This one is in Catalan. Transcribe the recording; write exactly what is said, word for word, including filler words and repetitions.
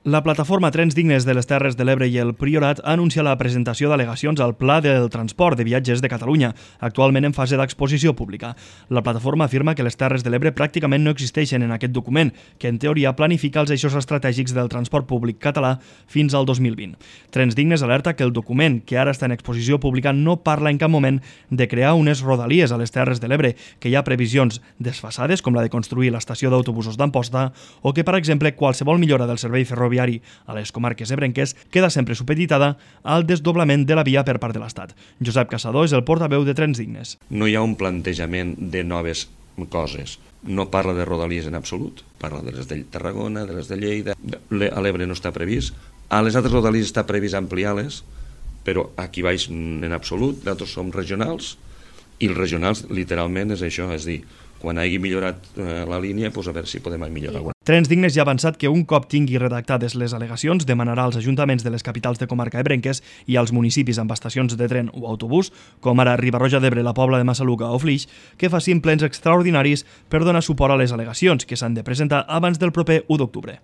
La plataforma Trens Dignes de les Terres de l'Ebre i el Priorat anuncia la presentació d'al·legacions al Pla del Transport de Viatges de Catalunya, actualment en fase d'exposició pública. La plataforma afirma que les Terres de l'Ebre pràcticament no existeixen en aquest document, que en teoria planifica els eixos estratègics del transport públic català fins al dos mil vint. Trens Dignes alerta que el document, que ara està en exposició pública, no parla en cap moment de crear unes rodalies a les Terres de l'Ebre, que hi ha previsions desfasades, com la de construir l'estació d'autobusos d'Amposta, o que, per exemple, qualsevol millora del servei ferroviari a les comarques ebrenques queda sempre supeditada al desdoblament de la via per part de l'Estat. Josep Caçador és el portaveu de Trens Dignes. No hi ha un plantejament de noves coses. No parla de rodalies en absolut. Parla de les de Tarragona, de les de Lleida. A l'Ebre no està previst. A les altres rodalies està previst ampliar-les, però aquí baix en absolut. Nosaltres som regionals i els regionals literalment és això, és dir, quan hagi millorat eh, la línia, doncs a veure si podem millorar alguna. Trens Dignes ja ha avançat que un cop tingui redactades les al·legacions demanarà als ajuntaments de les capitals de comarca ebrenques i als municipis amb estacions de tren o autobús, com ara Riba-roja d'Ebre, la Pobla de Massaluca o Flix, que facin plens extraordinaris per donar suport a les al·legacions que s'han de presentar abans del proper u d'octubre.